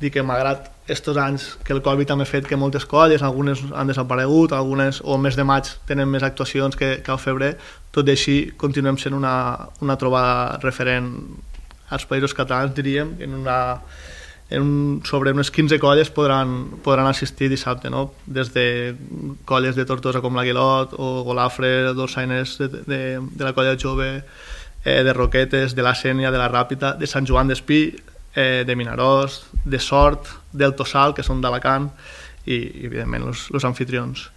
dir que malgrat estos anys que el Covid també ha fet que moltes colles, algunes han desaparegut, algunes o el mes de maig tenen més actuacions que al febrer, tot i així continuem sent una trobada referent als països catalans, diríem, sobre unes 15 colles podran assistir dissabte, no? Des de colles de Tortosa com l'Aguilot o Golafre, dolçainers de la colla jove, de Roquetes, de la Sénia, de la Ràpita, de Sant Joan d'Espí, de Vinaròs, de Sort, del Tossal, que són d'Alacant, i evidentment els anfitrions.